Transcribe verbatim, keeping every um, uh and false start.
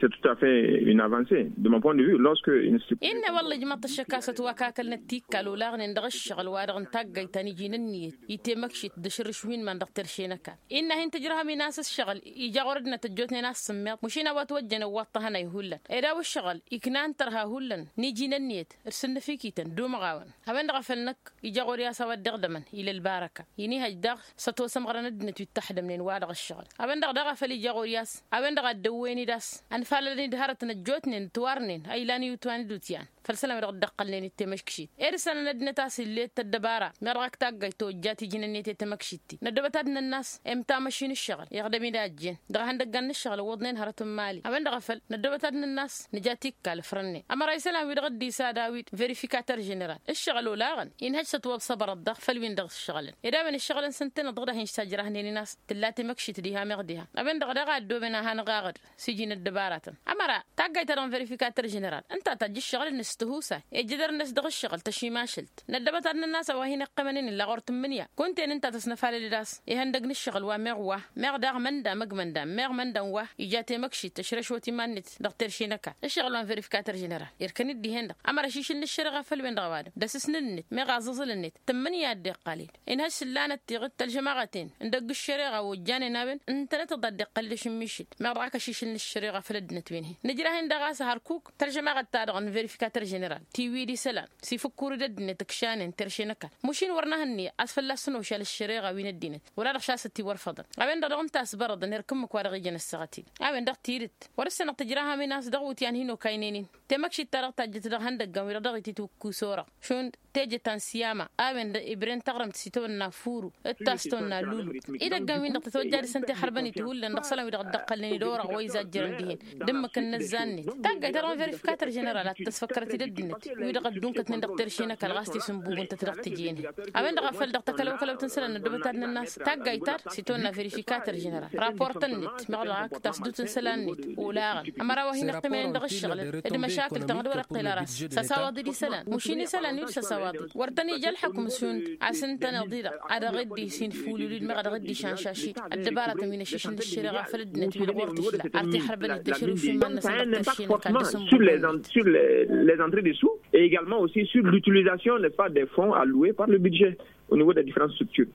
C'est tout à fait une avancée de mon point de vue lorsque. Innă wălla ijmăḍ-t ăššăk a-s ătwakakălnăt tikkal olaɣnen dăɣ-ǝššăɣǝl wa-dăɣ n-taggayt ta n-iji n-ǝnniyăt i-temăkšit d-ašǝrrǝšwin man dăɣ-terše n-ăkall. Innă a hin-tǝjrăhăm-in a-s ǝššăɣǝl ija ɣur-ăddinăt ăjjootnen a-s sǝmmeḍ măšin a-wa ătwăjjăn ăwwaḍ-t ahănay hullan ed a-wa ǝššăɣǝl ikna n-tărha hullan n-iji n-ǝnniyăt d-sǝnnǝfikităn d-umăɣawăn. A-wen-dăɣ a făl năkk ija ɣur-i a-s a-wa dd-iɣdămăn ila ălbarăka. Ini hăjj daɣ s-ătwăsămɣărăn ăddinăt wi ǝttăxdămnen wa dăɣ-ǝššăɣǝl. A-wen-dăɣ daɣ a făl ija ɣur-i a-s a-wen-dăɣ a dd-ăwwăyăn-dd a-s ănfalălăn-dd hărătăn ăjjootnen ătwarnen a ilan iwǝtwan d-utyan făll-isălan wi dăɣ-dd-ăqqălnen i-temăškšit. Ed ǝssanăn ăddinăt a-s ill'-e d-tăddăbara meɣ dăɣ-ak taggayt tojjat iji n-ǝnniyăt i-temăkšitti. Năddobăt ad-nǝnn' a-s imta măšin ǝššăɣǝl iɣdăm-dd a ăjjeen dăɣ-ehăndăggan n-ǝššăɣǝl ǝwwăḍnen hărăt n-imali. A-wen-dăɣ a făl năddobăt ad-nǝnn' a-s nǝja tikkal ǝfrănnen ămăra isălan wi-dăɣ dd-isad a-wi d-verificater ženeral ǝššăɣǝl olaɣăn. Inhăj s-ătwăbsăbărăt daɣ făll-win-dăɣ ǝššăɣǝlăn ed a-wen ǝššăɣǝlăn s-ǝntăneḍ-dăɣ dahin s-tajrăhnen-in a-s tǝlla temăkšit diha meɣ diha. A-wen-dăɣ daɣ a ăddooben a hanăɣ-aɣăd s-iji n-ăddăbaratăn ămăra taggayt-ta-dăɣ n-verificater ženeral ǝnta a tajj ǝššăɣǝl-net s-tihusay ejădăr-net dăɣ-ǝššăɣǝl tăšimăšălt. Năddăbăt ad-nănn' a-s a-wa hin-iqqămăn-in illa ɣur-tǝmmǝnǝya kunta-en ǝnta a tăsnăfalăl-dd a-s ihăndăg n-ǝššăɣǝl wa meɣ wa meɣ daɣ mănda măgg mănda meɣ mănda n-wa ija temăkšit tăšrăšwăt iman-net. Dăɣ-terše n-ăkall ǝššăɣǝl wa n-verificater ženeral irkăn-dd dihen-dăɣ ămăra ašišǝl n-ăššăreɣa făll-wen-dăɣ ăwadǝm d-asǝsnǝl-net meɣ aẓǝẓǝl-net tǝmmǝnǝya a dd-iqqal-dd. Inhăš s-ǝllanăt tiɣǝt tălžămaɣăten n-dăgg-ăššăreɣa ojjanen a-wen ǝntănăt-dd a dd-iqqăl-dd ašǝmmišǝl meɣ dăɣ-ak ašišǝl n-ăššăreɣa făll-ăddinăt wi n-hin-nǝjrah-in daɣ a-s hărkuk tălžămaɣăt-ta-dăɣ n-verificater ženeral tiwǝy d-isălan s-ifǝkkur-dd ăddinăt ǝkšanen terše n-ăkall. Măšin wăr nǝhǝnni a-s fălla-s ănošal ăššăreɣa wi n-ăddinăt wăla-dăɣ šasăt-i wăr făḍăn. A-wen-dăɣ dăɣ-ǝnta a-s bărăḍăn erk ǝmmǝk wa dăɣ-ijăn ăssaɣăt-in a-wen-dăɣ tidǝt wăr-ǝssanăɣ tǝjrahăm-in a-s dăɣ-iwǝtyan hin-okaynen-in. Temăkšit-ta-dăɣ tajjăt dăɣ-ihăndăggăn wi-dăɣ dăɣ-ititwǝkkus orăɣ šund teje ta n-siyama a-wen-dăɣ ibren taɣrǝmt s-itawănna furu d-ta s-tawănna lulu. Idăggan-win-dăɣ tătwăjja dăɣ-săn tixărbănit hullan dăɣ-isălan wi-dăɣ dd-ăqqălnen d-orăɣ wa izajjărăn dihen d-ǝmmǝk n-inǝzzan-net. Taggayt-ta-dăɣ n-verificater ženeral ad-t-tăsfăkkărăt-dd ăddinăt wi-dăɣ ăddunkătnen dăɣ-terše n-ăkall ɣas tisǝnbubǝntăt dăɣ-tiji-nen. A-wen-dăɣ a făl dăɣ-takălăwkălăwt n-isălan năddobăt ad-nănn' a-s taggayt-ta-dăɣ s-itawănna verificater ženeral raportăn-net meɣ dăɣ-ak tasdut n-isălan-net olaɣăn. Ămăra wa hin-iqqimnen dăɣ-ǝššăɣǝl d-măšakǝl-tăn d-wăr-iqqel ara a-s săsawăḍ-dd isălan măšin isălan wi-dd săsawăḍ-dd wăr tăn-ija ălḥukǝm šund a-s ǝntăneḍ-i-dăɣ a dăɣ-dd-isinfulul-dd meɣ a dăɣ-dd-išănšaš-dd ăddăbaratăn wi n-ašišǝl n-ăššăreɣa făll-ăddinăt wi-dăɣ wăr tǝšla ar tiḥărbănit d-ašrǝwšǝm iman-năsăn dăɣ-terše n-ăkall d-asǝnbubăn-net. Sur les entrées des sous et également aussi sur l'utilisation, n'est-ce pas, des fonds alloués par le budget au niveau des différentes structures.